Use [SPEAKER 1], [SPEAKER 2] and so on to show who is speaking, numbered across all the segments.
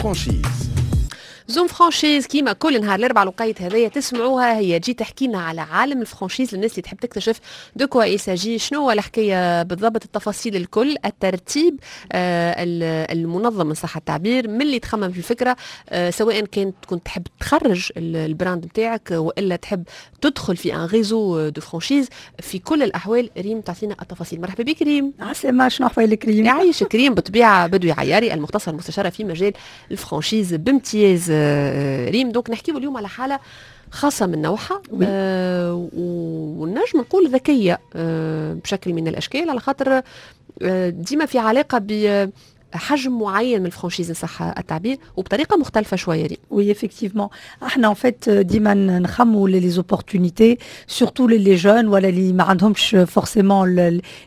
[SPEAKER 1] franchise.
[SPEAKER 2] Zoom franchise كيما كل نهار الاربعاء الوقيت هذايا تسمعوها، هي تجي تحكي لنا على عالم ال franchise للناس اللي تحب تكتشف de quoi il s'agit، شنو هو الحكاية بالضبط، التفاصيل الكل، الترتيب المنظم ان صح التعبير، من اللي تخمم في الفكره، سواء كانت كنت تحب تخرج ال brand نتاعك والا تحب تدخل في un réseau de franchise. في كل الاحوال ريم تعطينا التفاصيل. مرحبا بك ريم.
[SPEAKER 3] عسلامة، شنو احوالك ريم؟
[SPEAKER 2] يعيشك ريم. بالطبيعة بدوي عياري المختصة المستشارة في مجال ال franchise بامتياز. ريم، donc نحكيو اليوم على حاله خاصة من نوعها ونجم نقول ذكية بشكل من الأشكال، على خاطر ديما في علاقة بحجم معين من ال franchise صح التعبير وبطريقة مختلفة شوية ريم.
[SPEAKER 3] Oui, effectivement. احنا en fait ديما نخموا les opportunités، surtout les jeunes ولا اللي ما عندهمش forcément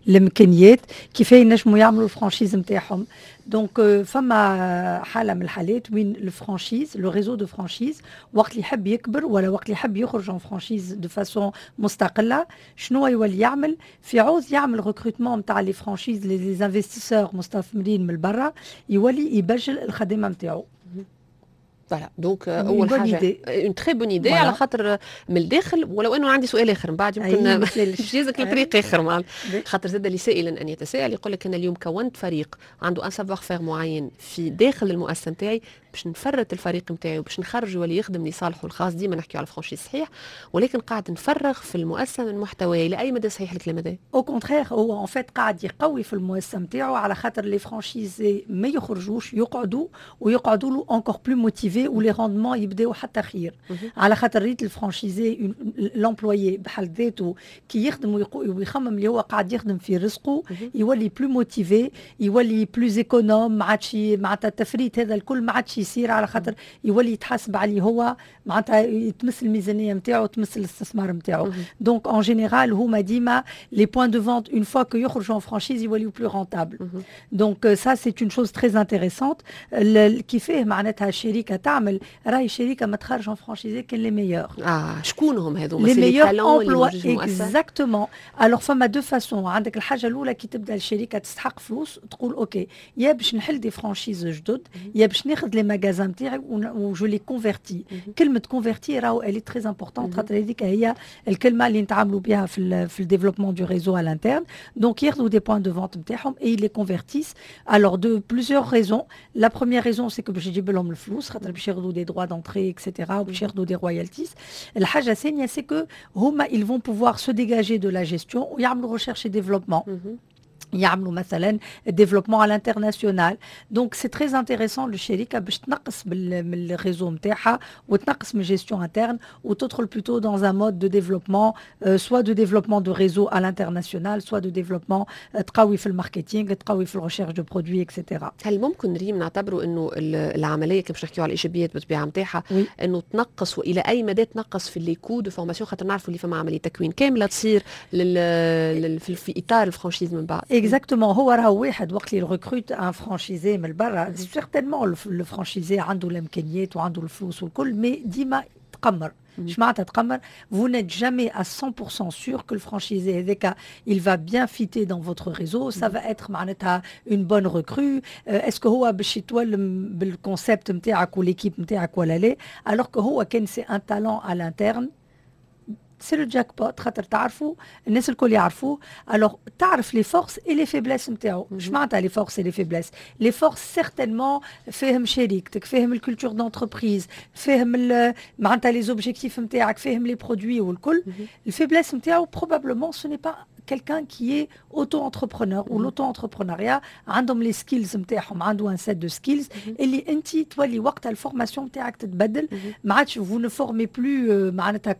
[SPEAKER 3] الامكانيات، كيف ينجموا يعملوا ال franchise نتاعهم. donc فما حاله من الحالات وين ال franchise، le réseau de franchise، وقت اللي يحب يكبر ولا وقت اللي يحب يخرج en franchise de façon مستقله، شنو يولي يعمل؟ في عوض يعمل recrutement نتاع les franchises، les investisseurs، مستثمرين من برا، يولي يبجل الخدمة نتاعو.
[SPEAKER 2] voilà، donc اول حاجة une très bonne idée على خاطر من الداخل، ولو انه عندي سؤال اخر من بعد يمكن باش يهزك لطريق اخر، خاطر زاد لسائل ان يتساءل، يقول لك انا اليوم كونت فريق عنده un savoir-faire معين في داخل المؤسسة نتاعي، باش نفرت الفريق نتاعي وباش نخرجه واللي يخدم لصالحه الخاص، ديما نحكيو على franchise صحيح، ولكن قاعد نفرغ في المؤسسة من محتواه. الى اي مدى صحيح الكلام هذا؟
[SPEAKER 3] au contraire، هو en fait قاعد يقوي في المؤسسة نتاعو، على خاطر les franchisés ما يخرجوش، يقعدوا ويقعدوا له encore plus motivés و les rendements يبداو حتى خير، على خاطر ريت ال franchisé، l'employé بحد ذاته، كي يخدم ويخمم اللي هو قاعد يخدم في رزقه، يولي plus motivé، يولي plus économe، ما عادش معناتها التفريط هذا الكل ما عادش يصير، على خاطر يولي يتحاسب عليه هو، معناتها يتمس الميزانية نتاعو، تمس الاستثمار نتاعو. donc en général هما ديما les points de vente، une fois que يخرجوا en franchise، يوليو plus rentables. donc ça c'est une chose très intéressante. كيفاه معناتها الشركة تعمل؟ راهي الشركة ما تخرج en franchisé كان les meilleurs.
[SPEAKER 2] اه، شكون هم هذوما؟
[SPEAKER 3] les meilleurs employés، exactement. alors فما deux façons. عندك الحاجة الاولى، كي تبدا الشركة تستحق فلوس، تقول OK، يا باش نحل des franchises جدد يا باش ناخذ les magasins نتاعي و je les convertis. كلمة convertir راهو elle est très importante، خاطر هذيك هي الكلمة اللي نتعاملوا بها في ال développement du réseau à l'interne. donc ياخذوا des points de vente نتاعهم et les convertissent. alors de plusieurs raisons. la première raison c'est que باش يجيب لهم الفلوس، خاطر باش ياخذوا des droits d'entrée et cetera وباش ياخذوا des royalties. الحاجة الثانية c'est que هما ils vont pouvoir se dégager de la gestion ويعملوا recherche et développement، يعملوا مثلا développement à l'international. donc c'est très intéressant للشركة باش تنقص من ال réseau نتاعها وتنقص من gestion interne وتدخل plutôt dans un mode de développement، soit de développement de réseau à l'international، soit de développement تقوي في ال marketing، تقوي في ال recherche de produits et cetera.
[SPEAKER 2] هل ممكن ريم نعتبروا انه العمليه، كيف باش نحكيو على الايجابيات بالطبيعة نتاعها، انه تنقص، والى اي مدى تنقص في les coûts de formation؟ خاطر نعرفوا اللي فما عملية تكوين كاملة تصير في اطار ال franchise من بعد.
[SPEAKER 3] exactement. هو راهو واحد وقت اللي recrute un franchisé من برا، certainement le franchisé عنده الامكانيات وعنده الفلوس والكل، mais ديما تقمر. اش معناتها تقمر؟ vous n'êtes jamais à 100% sûr que le franchisé هذاك il va bien fitter dans votre réseau، ça va être معناتها une bonne recrue، est-ce que هو باش يتولم بال concept نتاعك و l'équipe نتاعك ولا لا. alors que هو كان c'est un talent à l'interne، c'est le jackpot، خاطر تعرفوا، الناس الكل يعرفوه. alors تعرف les forces et les faiblesses نتاعو. اش معناتها les forces et les faiblesses؟ les forces certainement فاهم شريكتك، فاهم ال culture d'entreprise، فاهم معناتها les objectifs نتاعك، فاهم les produits والكل. ال faiblesse نتاعو probablement ce n'est pas quelqu'un qui est auto-entrepreneur ou l'auto-entrepreneuriat، عندهم les skills نتاعهم، عنده un set de skills اللي انت تولي وقتها ال formation نتاعك تتبدل. ما عادش vous ne formez plus معناتها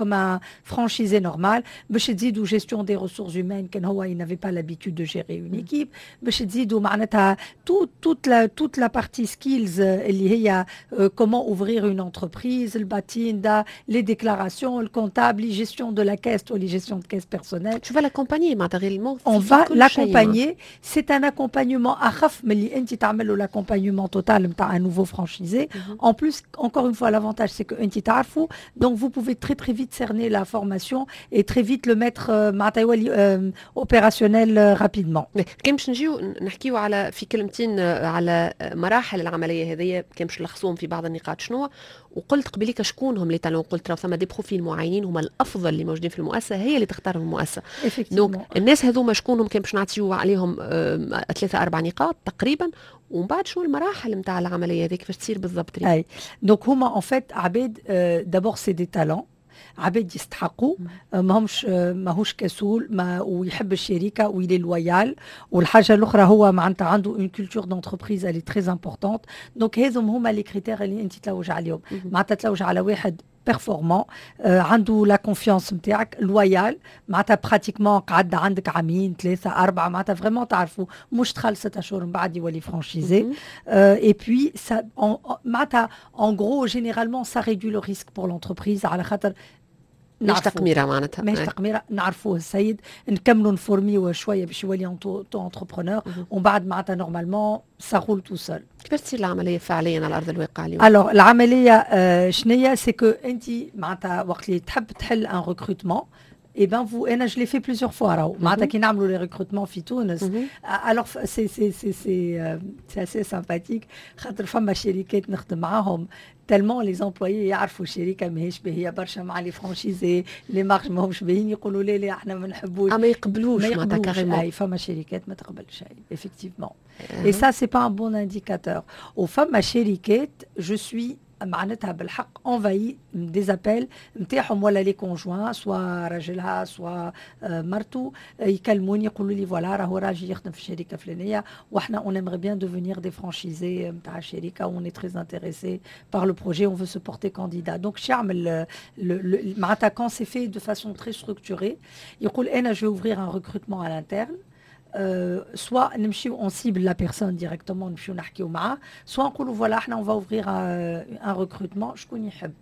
[SPEAKER 3] comme un franchisé normal، باش تزيدوا gestion des ressources humaines كان هو il n'avait pas l'habitude de gérer une équipe، باش تزيدوا معناتها toute la partie skills اللي هي comment ouvrir une entreprise، ال patente، les déclarations، ال comptable، gestion de la caisse ou les gestion de caisse personnelle.
[SPEAKER 2] شو va l'accompagner معناتها réellement.
[SPEAKER 3] on va l'accompagner، c'est un accompagnement اخف من اللي انت تعمل له l'accompagnement total نتاع un nouveau franchisé. En plus، encore une fois، l'avantage c'est que انت تعرفوا، donc vous pouvez très très vite cerner la formation et très vite le mettre معناتها يولي opérationnel rapidement.
[SPEAKER 2] كان باش نجيو نحكيو على في كلمتين على مراحل العملية هذه، كان باش نلخصوهم في بعض النقاط، شنو؟ وقلت قبليك شكون هم les talents، قلت راه ثم des profils معينين هما الافضل اللي موجودين في المؤسسه، هي اللي تختارهم المؤسسه. donc الناس هذوما شكونهم؟ كان باش نعطيو عليهم ثلاثة اربع نقاط تقريبا، ومن بعد شنو المراحل نتاع العملية هذيك، كيفاش تصير بالضبط؟
[SPEAKER 3] اي، donc هما en fait عباد، d'abord c'est des talents، عباد يستحقوا، ماهمش ماهوش كسول ما ويحب الشركة و il est loyal. والحاجة الاخرى هو معناتها عنده une culture d'entreprise، elle est très importante. donc هذم هما les critères اللي انت تلوج عليهم، معناتها تلوج على واحد performant، عنده la confiance نتاعك، loyal، معناتها pratiquement قعد عندك عامين، ثلاثه، اربعه، معناتها vraiment تعرفوا، مش دخل 6 اشهر من بعد يولي franchisé. et puis معناتها en gros، généralement ça réduit le risque pour l'entreprise على خاطر
[SPEAKER 2] مش تقميره معناتها.
[SPEAKER 3] ماهيش تقميره، نعرفوه السيد، نكملوا نفورميوه شوية باش يولي auto-entrepreneur، ومن بعد معناتها normalement ça roule tout seul.
[SPEAKER 2] كيفاش تصير العملية فعليا على ارض الواقع اليوم؟
[SPEAKER 3] alors العملية شنية؟ c'est que انت معناتها وقت اللي تحب تحل un recrutement، Eh ben vous، انا je l'ai fait plusieurs fois راهو، معناتها كي نعملوا les recrutements في تونس، alors c'est assez sympathique خاطر فما شركات نخدم معاهم، tellement les employés يعرفوا الشركة ماهيش باهيه برشا مع les franchisés، les marges ماهمش باهيين، يقولوا لا لا احنا ما نحبوش.
[SPEAKER 2] ما يقبلوش.
[SPEAKER 3] ما يقبلوش، اي، فما شركات ما تقبلش، اي effectivement، et ça c'est pas un bon indicateur. وفما شركات je suis معناتها بالحق envahie des appels نتاعهم، ولا les conjoints، soit راجلها soit مرته، يكلموني يقولوا لي voilà راهو راجل يخدم في الشركة الفلانية واحنا on aimerait bien devenir des franchisés نتاع الشركه، on est très intéressé par le projet، on veut se porter candidat. donc شيعمل معناتها quand c'est fait de façon très structurée، يقول انا je vais ouvrir un recrutement à l'interne، soit نمشيو on cible la personne directement، نمشيو نحكيو معاه، soit نقولوا voilà احنا on va ouvrir un recrutement، شكون يحب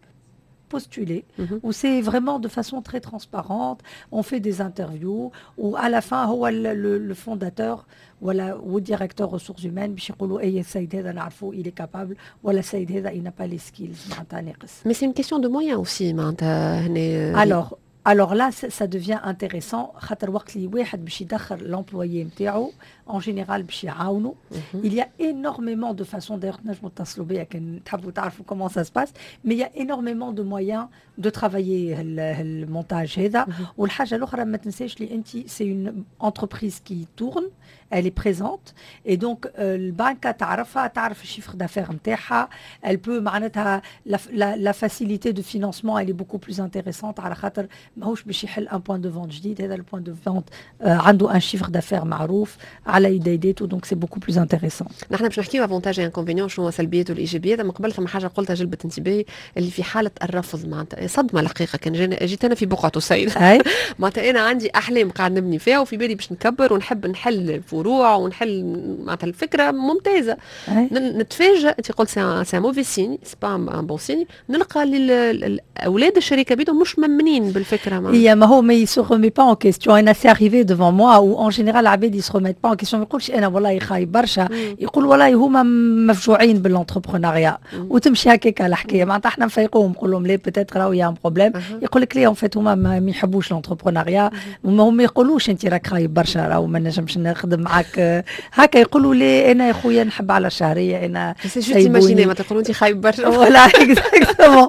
[SPEAKER 3] postuler، و c'est vraiment de façon très transparente، on fait des interviews، و à la fin هو le fondateur ولا و directeur ressources humaines باش يقولوا اي السيد هذا نعرفوه il est capable، ولا السيد هذا il n'a pas les skills، معناتها ناقص.
[SPEAKER 2] Mais c'est une question de moyens aussi معناتها هنا.
[SPEAKER 3] alors là ça devient intéressant خاطر وقت اللي واحد باش يدخل l'employé نتاعو، en général باش يعاونوا. il y a énormément de façons، d'ailleurs تنجموا تتصلوا بيا كان تحبوا تعرفوا comment ça se passe، mais il y a énormément de moyens de travailler المونتاج هذا. والحاجة الاخرى ما تنساش اللي انت c'est une entreprise qui tourne، elle est présente، et donc البنكه تعرفها، تعرف ال chiffre d'affaires نتاعها، elle peut معناتها la facilité de financement elle est beaucoup plus intéressante على خاطر ماهوش باش يحل un point de vente جديد، هذا ال point de vente عنده un chiffre d'affaires معروف على يديداته، donc c'est beaucoup plus intéressant.
[SPEAKER 2] نحن باش نحكيو avantages inconvénients، شنو سلبيات والايجابيات. من قبل ثم حاجة قلتها جلبت انتباهي، اللي في حاله الرفض، معناتها صدمة الحقيقة كان جيت انا في بقعة السيد، معناتها انا عندي احلام قاعد نبني فيها وفي بالي باش نكبر ونحب نحل فروع ونحل، معناتها الفكرة ممتازه، نتفاجئ، انت قلت c'est un mauvais signe، c'est pas un bon signe، نلقى اولاد الشركة بيدهم مش مأمنين بالفكره.
[SPEAKER 3] ما ما هو mais se remet pas en question. انا c'est arrivé devant moi، و en général العباد ils se remettent pas en question، ما يقولش انا والله خايب برشا، يقول والله هما مفجوعين بال entrepreneuriat، وتمشي هكاك الحكايه. معناتها احنا نفيقوهم، نقول لهم لا peut-être راهو y a un problème، يقول لك لا en fait هما ما يحبوش l'entrepreneuriat. وما هم يقولوش انت راك خايب برشا راهو ما نجمش نخدم معاك هكا، يقولوا لي انا يا خويا نحب على الشهرية انا.
[SPEAKER 2] c'est juste imaginer ما تقولوا انت خايب برشا.
[SPEAKER 3] voilà exactement.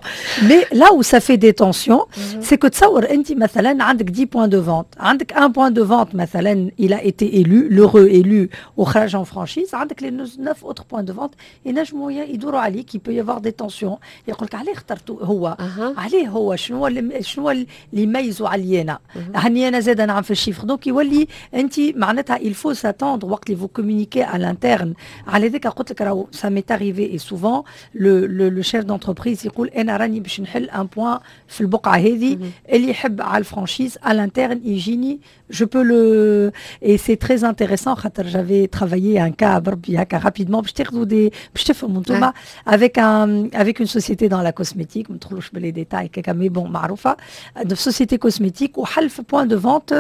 [SPEAKER 3] mais là où ça fait des tensions، c'est que تصور انت مثلا عندك 10 points de vente، عندك 1 point de vente مثلا il a été élu، l'heureux élu، وخرج en franchise، عندك les 9 autres points de vente ينجموا يدوروا عليك، il peut y avoir des tensions، يقول لك عليه اخترتوا هو، عليه هو، شنو اللي يميزوا علي انا؟ هاني انا زاد نعم في ال chiffre. donc يولي انت معناتها il faut s'attendre وقت اللي vous communiquez à l'interne. على ذاك قلت لك راهو ça m'est arrivé، et souvent le chef d'entreprise يقول انا راني باش نحل un point في البقعة هذه اللي اللي يحب على ال franchise à l'interne يجيني، je peux le et c'est très intéressant خاطر j'avais travaillé un cas بربي هكا rapidement باش تاخذوا des باش تفهموا انتوما avec une société dans la cosmétique، ما ندخلوش ب les détails كاكا، mais bon معروفه de société cosmétique، وحل في point de vente،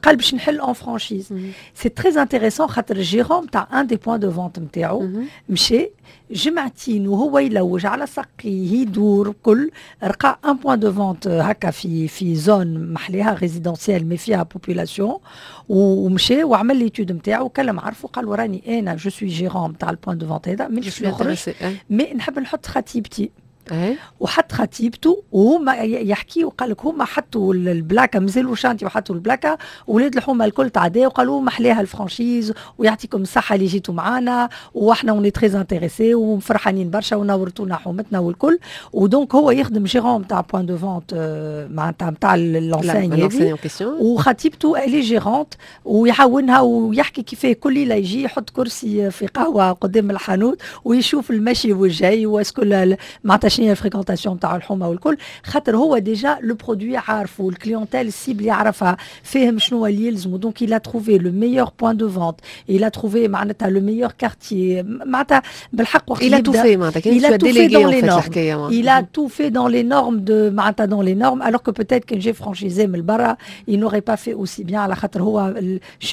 [SPEAKER 3] قال باش نحل en franchise. c'est très intéressant خاطر ال gérant تاع un des points de vente نتاعو مشى جمعتين وهو يلوج على سقيه يدور كل، لقى un point de vente هكا في zone محليها résidentielle mais فيها population، ومشى وعمل l'étude نتاعو وكلم عرفه، قال له راني انا je suis gérant نتاع ال point de vente هذا، مانيش نخرج mais نحب نحط خطيبتي. وحط خطيبته وهما يحكي وقال لك هما حطوا ال plaque، مازالوا chantier وحطوا ال plaque، ولاد الحومه الكل تعداو وقالوا محليها ال franchise ويعطيكم الصحة اللي جيتوا معانا واحنا on est très intéressés وفرحانين برشا ونورتونا حومتنا والكل. و donc هو يخدم gérant تاع point de vente معناتها نتاع l'enseigne هذه، وخطيبته elle est gérante ويعاونها، ويحكي كيفاه كل ليلة يجي يحط كرسي في قهوة قدام الحانوت ويشوف المشي والجاي و est-ce que معناتها شنو هي ال fréquentation تاع الحومه والكل، خاطر هو déjà le produit عارفه، ال clientèle cible يعرفها، فاهم شنو اللي يلزمو. donc il a trouvé le meilleur point de vente، il a trouvé معناتها le meilleur quartier، معناتها بالحق
[SPEAKER 2] وقت il a tout fait، معناتها
[SPEAKER 3] il a tout fait dans les normes، il a tout fait dans les normes de معناتها dans les normes، alors que peut-être كان جا franchisé من برا il n'aurait pas fait aussi bien، على خاطر هو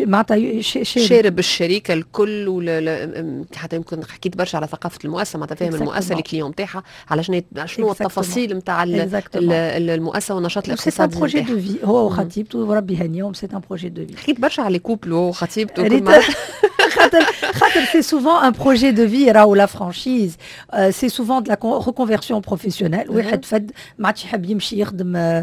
[SPEAKER 3] معناتها
[SPEAKER 2] شارب الشركة الكل، ولا حتى يمكن حكيت برشا على ثقافة المؤسسه، معناتها فاهم المؤسسه، ال clients نتاعها، على شنو التفاصيل نتاع المؤسسة والنشاط الاقتصادي.
[SPEAKER 3] c'est un projet de vie، هو وخطيبته وربي يهنيهم، c'est un projet de vie.
[SPEAKER 2] حكيت برشا على couple وخطيبته.
[SPEAKER 3] خاطر c'est souvent un projet de vie راهو la franchise، c'est souvent de la reconversion professionnelle. واحد فد ما عادش يحب يمشي يخدم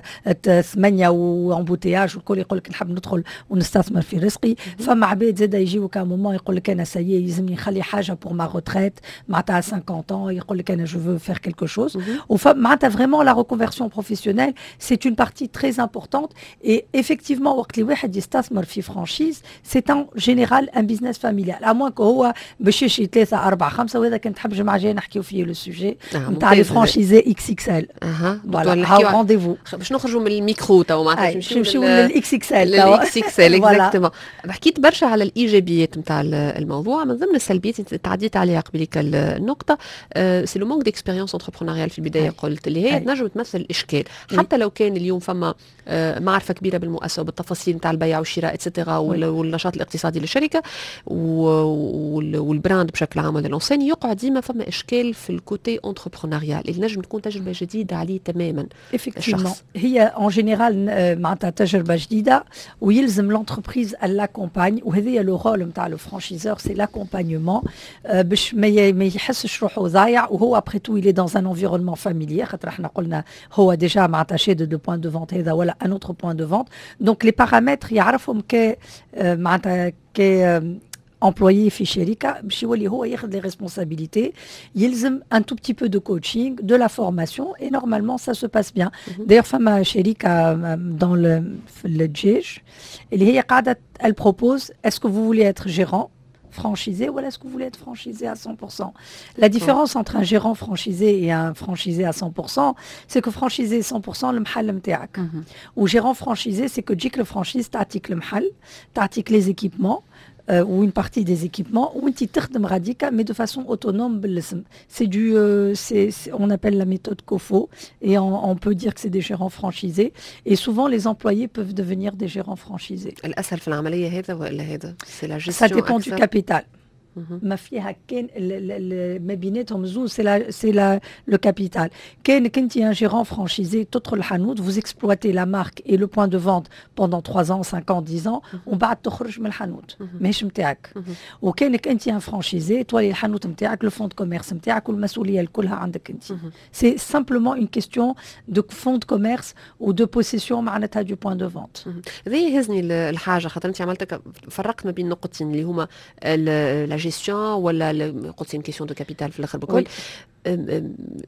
[SPEAKER 3] 8 و embouteillage والكل، يقول لك نحب ندخل ونستثمر في رزقي. فما عباد زاد يجيو à un moment يقول لك انا ça y est يلزمني نخلي حاجة pour ma retraite، معناتها 50 ans يقول لك انا je veux faire quelque chose. ومعناتها vraiment la reconversion professionnelle c'est une partie très importante. et effectivement وقت اللي واحد يستثمر في franchise، c'est en général un business familial، à moins que هو باش يشري 3 4 5، وهذا كان تحب جمعة جاية نحكيو فيه le sujet نتاع les franchisés XXL.
[SPEAKER 2] اها.
[SPEAKER 3] voilà، rendez-vous.
[SPEAKER 2] باش نخرجوا من الميكرو تو معناتها.
[SPEAKER 3] نمشيو لل XXL.
[SPEAKER 2] لل XXL exactement. حكيت برشا على الايجابيات نتاع الموضوع، من ضمن السلبيات تعديت عليها قبليك النقطه، c'est le manque d'expérience entrepreneuriale في البدايه، قلت اللي هي تنجم تمثل اشكال حتى لو كان اليوم فما معرفة كبيرة بالمؤسسه وبالتفاصيل نتاع البيع والشراء et cetera والنشاط الاقتصادي للشركة وال brand بشكل عام ولا l'enseigne، يقعد ديما فما اشكال في ال côté entrepreneurial اللي نجم تكون تجربه جديدة عليه تماما.
[SPEAKER 3] effectivement هي en général معناتها تجربه جديدة ويلزم l'entreprise l'accompagne، وهذه le rôle نتاع le franchiseur، c'est l'accompagnement باش ما يحسش روحه ضايع. وهو après tout il est dans un environnement familier، خاطر احنا قلنا هو déjà معناتها شاد deux points de vente هذا ولا un autre point de vente، donc les paramètres يعرفهم ك معناتها ك employé في شركه، باش يولي هو ياخذ les responsabilités يلزم un tout petit peu de coaching، de la formation، et normalement ça se passe bien. d'ailleurs فما شركة dans le في الدجاج اللي هي قاعدة elle propose: est-ce que vous voulez être gérant franchisé ou est-ce que vous voulez être franchisé à 100%؟ La différence entre un gérant franchisé et un franchisé à 100%, c'est que franchisé 100% المحل نتاعك. و gérant franchisé، c'est que تجيك ال franchise تعطيك المحل، تعطيك les équipements ou une partie des équipements، وانت تخدم غاديكا mais de façon autonome بالاسم. C'est du c'est on appelle la méthode COFO et on peut dire que c'est des gérants franchisés et souvent les employés peuvent devenir des gérants franchisés.
[SPEAKER 2] الاسهل في العملية هذا ولا هذا؟ c'est la gestion؟
[SPEAKER 3] Ça dépend du capital. ما فيها كان ما بيناتهم زوز c'est le capital. كان كنت un gérant franchisé، تدخل الحانوت، vous exploitez la marque et le point de vente pendant 3 ans، 5 ans، 10 ans، ومن بعد تخرج من الحانوت، ماهيش نتاعك. وكانك انت un franchisé، تولي الحانوت نتاعك، le fonds de commerce نتاعك، والمسؤولية كلها عندك انت. c'est simplement une question de fonds de commerce ou de possession معناتها du point de vente.
[SPEAKER 2] هذا يهزني الحاجه، خاطر انت عملت فرقت ما بين نقطتين اللي هما la la gestion ولا قلت c'est question de capital في الاخر بكل.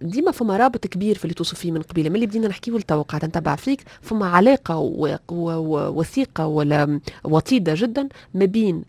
[SPEAKER 2] ديما فما رابط كبير في اللي توصف فيه من قبيله، من اللي بدينا نحكيو لتوا قاعدة نتبع فيك، فما علاقة وثيقة ولا وطيدة جدا ما بين،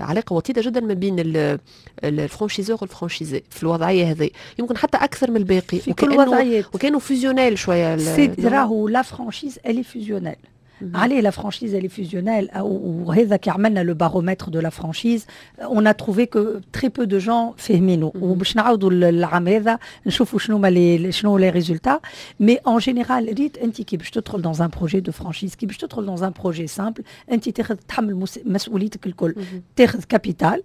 [SPEAKER 2] علاقة وطيدة جدا ما بين ال franchiseur وال franchisé في الوضعية هذه، يمكن حتى اكثر من الباقي.
[SPEAKER 3] في كل وضعيات.
[SPEAKER 2] وكانوا fusionnel شويه.
[SPEAKER 3] راهو la franchise elle est fusionnelle. عليه la franchise elle est fusionnelle. وهذا كي عملنا le baromètre de la franchise، on a trouvé que très peu de gens فاهمينه، وباش نعاودوا العام هذا نشوفوا شنو ما les شنو les résultats. mais en général، ريت انت كي باش تدخل dans un projet de franchise، كي باش تدخل dans un projet simple، انت تاخذ تحمل مسؤوليتك الكل، تاخذ capital،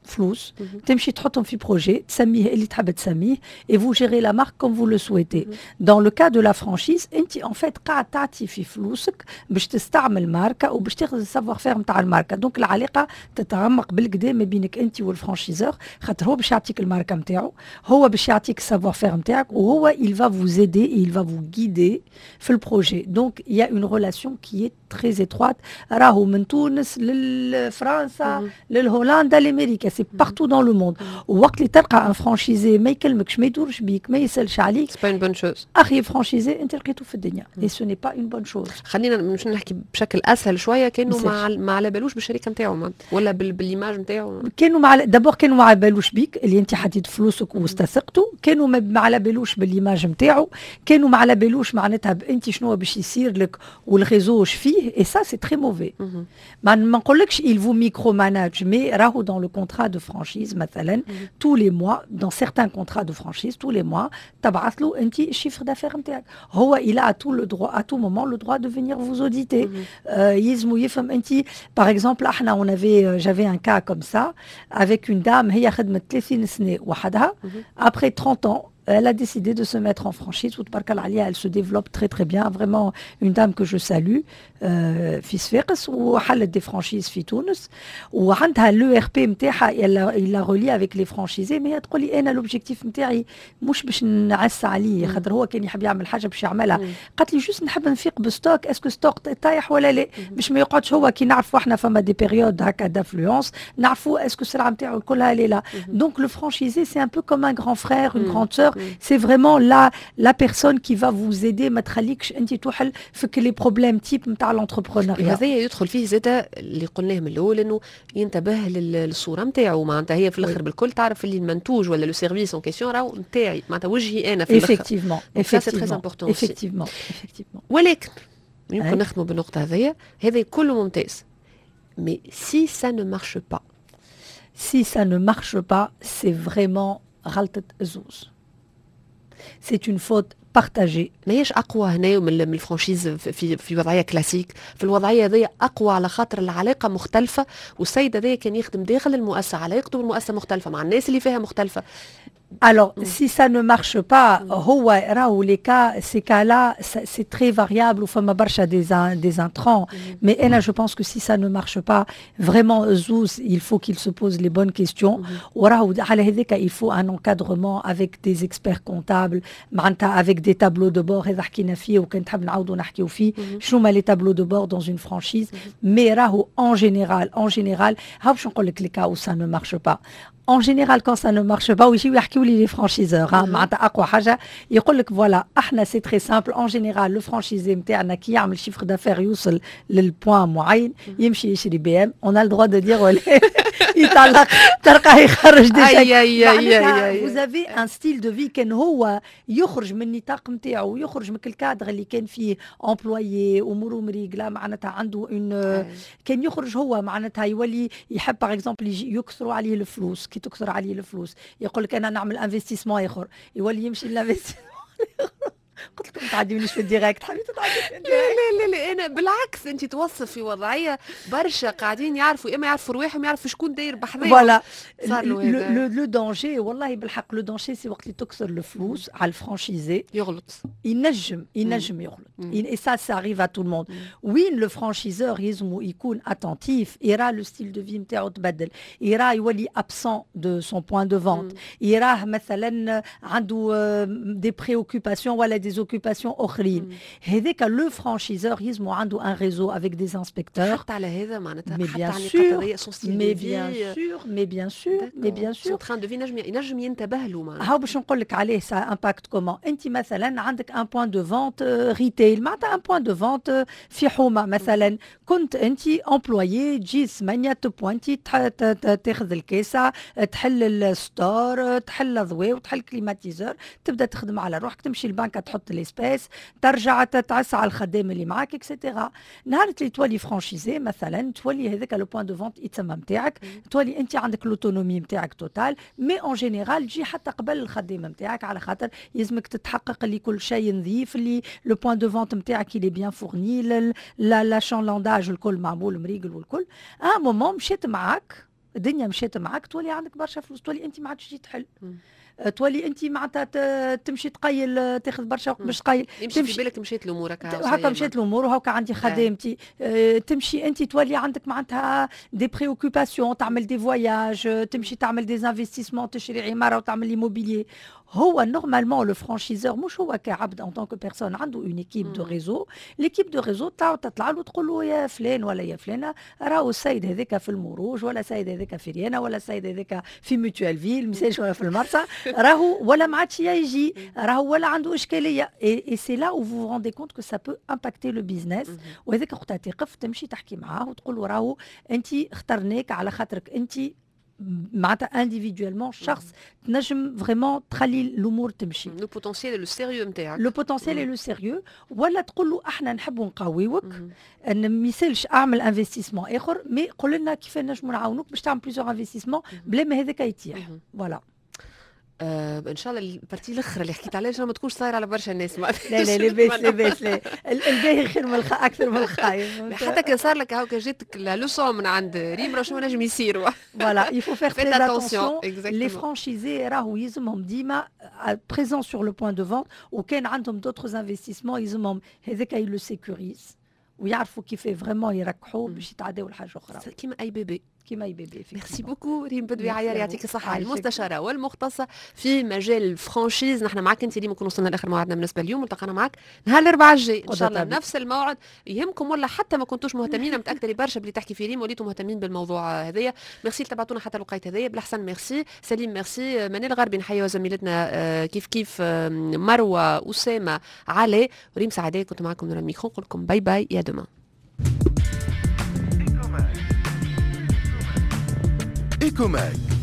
[SPEAKER 3] فلوس، تمشي تحطهم في projet، تسميه اللي تحب تسميه، et vous gérez la marque comme vous le souhaitez. dans le cas de la franchise، انت en fait قاعد تعطي في فلوسك باش تستعمل ماركة وباش تاخذ ال savoir-faire نتاع الماركه. donc العلاقة تتعمق بالقدا ما بينك انت وال franchiseur، خاطر هو باش يعطيك الماركة نتاعو، هو باش يعطيك ال savoir-faire نتاعك، وهو il va vous aider، il va vous guider في ال projet. donc il y a une relation qui est très étroite. راهو من تونس لفرنسا للهولندا لامريكا، c'est partout dans le monde. ووقت اللي تلقى un franchisé ما يكلمكش، ما يدورش بيك، ما يسالش عليك،
[SPEAKER 2] c'est pas une bonne chose.
[SPEAKER 3] اخيب franchisé انت لقيته في الدنيا، et ce n'est pas une bonne chose.
[SPEAKER 2] خلينا مش نحكي بشكل اسهل شويه، كانوا ما على بالوش بالشركة نتاعو ولا بال image نتاعو.
[SPEAKER 3] كانوا مع d'abord كانوا ما على بالوش بيك اللي انت حطيت فلوسك واستثقته، كانوا ما على بالوش بال image نتاعو، كانوا ما على بالوش معناتها انت شنو باش يصير لك وال réseau فيه، et ça c'est très mauvais. ما نقولكش il vous micromanage، mais راهو dans le contrat de franchise مثلا، tous les mois، dans certains contrats de franchise، tous les mois تبعث له انت ال chiffre d'affaires نتاعك. هو il a tout le droit، à tout moment le droit de venir vous auditer. يلزمو يفهم انت. par exemple احنا on avait j'avais un cas comme ça avec une dame، هي خدمت 30 سنة وحدها. après 30 ans elle a décidé de se mettre en franchise. Elle se développe très très bien. Vraiment une dame que je salue. في صفاقس، وحلت des franchises في تونس، وعندها l'ERP نتاعها، il la relie avec les franchisés. mais تقول لي انا l'objectif نتاعي مش باش نعس عليه، خاطر هو كان يحب يعمل حاجة باش يعملها. قالت لي juste نحب نفيق ب stock، est-ce que stock طايح ولا لا، باش ما يقعدش هو، كي نعرفوا احنا فما des périodes هكا d'affluence، نعرفوا est-ce que السلعة نتاعو كلها لا. donc le franchisé c'est un peu comme un grand frère، une grande sœur. c'est vraiment la personne qui va vous aider، ما تخليكش انت توحل في les problèmes types نتاع l'entrepreneuriat.
[SPEAKER 2] هذا يدخل فيه زاده اللي قلناه من الاول، انه ينتبه للصورة نتاعو، معناتها هي في الاخر بالكل تعرف اللي المنتوج ولا le service en question راهو نتاعي، معناتها وجهي انا في الاخر.
[SPEAKER 3] effectivement.
[SPEAKER 2] c'est très important.
[SPEAKER 3] effectivement effectivement.
[SPEAKER 2] ولكن يمكن نختموا بالنقطة هذيا، هذا كله ممتاز، mais si ça ne marche pas؟
[SPEAKER 3] si ça ne marche pas، c'est vraiment غلطة زوز، c'est une faute partagée.
[SPEAKER 2] ماهيش اقوى هنا من ال franchise في وضعية كلاسيك؟ في الوضعية هذه اقوى، على خاطر العلاقة مختلفه، والسيد هذا كان يخدم داخل المؤسسه، علاقته بالمؤسسه مختلفه، مع الناس اللي فيها مختلفه.
[SPEAKER 3] Alors, si ça ne marche pas، هو راهو les cas، ces cas-là، c'est très variable وفما برشا des intrants. Mais أنا je pense que si ça ne marche pas، vraiment زوز، il faut qu'ils se posent les bonnes questions. وراهو على هذاك il faut un encadrement avec des experts comptables، معناتها avec des tableaux de bord. هذا حكينا فيه، وكان تحب نعاودوا نحكيو فيه، شنو هما les tableaux de bord dans une franchise. mais راهو en général، en général، هاو باش نقول لك les cas où ça ne marche pas. en général quand ça ne marche pas، ويجيو يحكيو لي les franchiseurs، معناتها اقوى حاجة يقول لك voilà، احنا c'est très simple، en général le franchisé نتاعنا كي يعمل chiffre d'affaires يوصل لل point معين، يمشي يشري BM، on a le droit de dire، ولا يطلق، تلقاه يخرج des chèques. vous avez un style de vie، كان هو يخرج من النطاق نتاعو، يخرج من الكادر اللي كان فيه employé، اموره مريقله، معناتها عنده une، كان يخرج هو معناتها يولي يحب par exemple يكثروا عليه الفلوس. كي تكثر عليه الفلوس يقول لك انا نعمل investissement اخر، يولي يمشي لل investissement. قلت لكم تعديونيش في ال direct، حبيت تعدي.
[SPEAKER 2] لا لا لا لا، انا بالعكس، انت توصف في وضعية برشا قاعدين يعرفوا، اما يعرفوا رواحهم، يعرفوا شكون داير بحذاهم.
[SPEAKER 3] voilà le danger، والله بالحق le danger c'est وقت اللي تكثر الفلوس على ال franchisé.
[SPEAKER 2] يغلط.
[SPEAKER 3] ينجم يغلط، et ça ça arrive à tout le monde. وين le franchiseur يلزمو يكون attentif، يرى le style de vie نتاعو تبدل، يرى يولي absent de son point de vente، يراه مثلا عنده des préoccupations ولا des des occupations اخرين. هذاك le franchiseur يلزمو عنده un réseau avec des inspecteurs.
[SPEAKER 2] حتى على هذا معناتها،
[SPEAKER 3] mais bien sûr، mais bien sûr، mais bien sûr، mais bien sûr.
[SPEAKER 2] train de vie ينجم ينتبه له معناتها.
[SPEAKER 3] هاو باش نقول لك عليه ça impacte comment. انت مثلا عندك un point de vente retail، معناتها un point de vente في حومه مثلا، كنت انت employé تجي 8 تبوانتي، تاخذ الكاسه، تحل ال store، تحل الضوء وتحل climatiseur، تبدا تخدم على روحك، تمشي البنك تحط l'espèce، ترجع تعس على الخدام اللي معاك et cetera. نهار اللي تولي franchisé مثلا، تولي هذاك le point de vente يتسمى نتاعك، تولي انت عندك l'autonomie نتاعك totale، mais en général تجي حتى قبل الخدام نتاعك، على خاطر يلزمك تتحقق اللي كل شيء نظيف، اللي le point de vente نتاعك il est bien fourni، l'achalandage الكل معمول مريقل والكل. à un moment مشيت معاك الدنيا، مشيت معاك، تولي عندك برشا فلوس، تولي انت ما عادش تجي تحل، تولي انت معناتها تمشي تقيل، تاخذ برشا وقت باش تقيل.
[SPEAKER 2] يمشي في بالك مشيت الامور.
[SPEAKER 3] هكا مشيت الامور وهكا عندي خدامتي. تمشي انت تولي عندك معناتها des préoccupations، تعمل des voyages، تمشي تعمل des investissements، تشري عمارة وتعمل l'immobilier. هو normalement le franchiseur مش هو كعبد en tant que personne، عنده une équipe de réseau. l'équipe de réseau تطلع له تقول له يا فلان ولا يا فلانه، راهو السيد هذاك في المروج ولا السيد هذاك في ريانا ولا السيد هذاك في Mutuelleville مساج ولا في المرسى، راهو ولا ما عادش يجي، راهو ولا عنده اشكاليه. et c'est là où vous vous rendez compte que ça peut impacter le business. وهذاك وقتها تقف تمشي تحكي معاه وتقول له راهو انت اخترناك على خاطرك انت معناتها individuellement شخص تنجم vraiment تخلي الامور تمشي.
[SPEAKER 2] le potentiel، le sérieux نتاعك.
[SPEAKER 3] le potentiel، le sérieux. ولا تقول له احنا نحبوا نقويوك، ان ما يسالش اعمل investissement اخر، mais قول لنا كيف نجموا نعاونوك باش تعمل plusieurs investissements بلا ما هذاك يطيح. voilà.
[SPEAKER 2] ان شاء الله ال partie الاخرى اللي حكيت عليها ما تكونش صايرة على برشا الناس.
[SPEAKER 3] لا لا، لاباس لاباس، لا، الباهي خير من اكثر من الخايب.
[SPEAKER 2] حتى كان صار لك هاكا جاتك la leçon من عند ريم راه شنو نجم يصير.
[SPEAKER 3] voilà، il faut faire très attention. les franchisés راهو يلزمهم ديما présents sur le point de vente، وكان عندهم d'autres investissements يلزمهم هذاك ils le sécurisent ويعرفوا كيف vraiment يركحوا باش يتعداو لحاجة اخرى.
[SPEAKER 2] كيما اي bébé.
[SPEAKER 3] كيما اي bébé.
[SPEAKER 2] merci beaucoup ريم بدوي عيار، يعطيك الصحه، المستشارة والمختصه في مجال ال franchise. نحن معك انت اليوم نكون وصلنا لاخر موعدنا بالنسبة اليوم. التقينا معك نهار الاربعاء الجاي ان شاء الله نفس الموعد. يهمكم ولا حتى ما كنتوش مهتمين، متاكدة برشا بلي تحكي في ريم وليتوا مهتمين بالموضوع هذايا. ميرسي تبعتونا حتى الوقيت هذايا. بالحسن ميرسي سليم، ميرسي منال الغربي، نحيي زميلتنا كيف كيف مروه، اسامه، علي وريم سعداء. كنت معكم من الميكرو، نقول لكم bye bye، à demain.
[SPEAKER 1] Ecomag.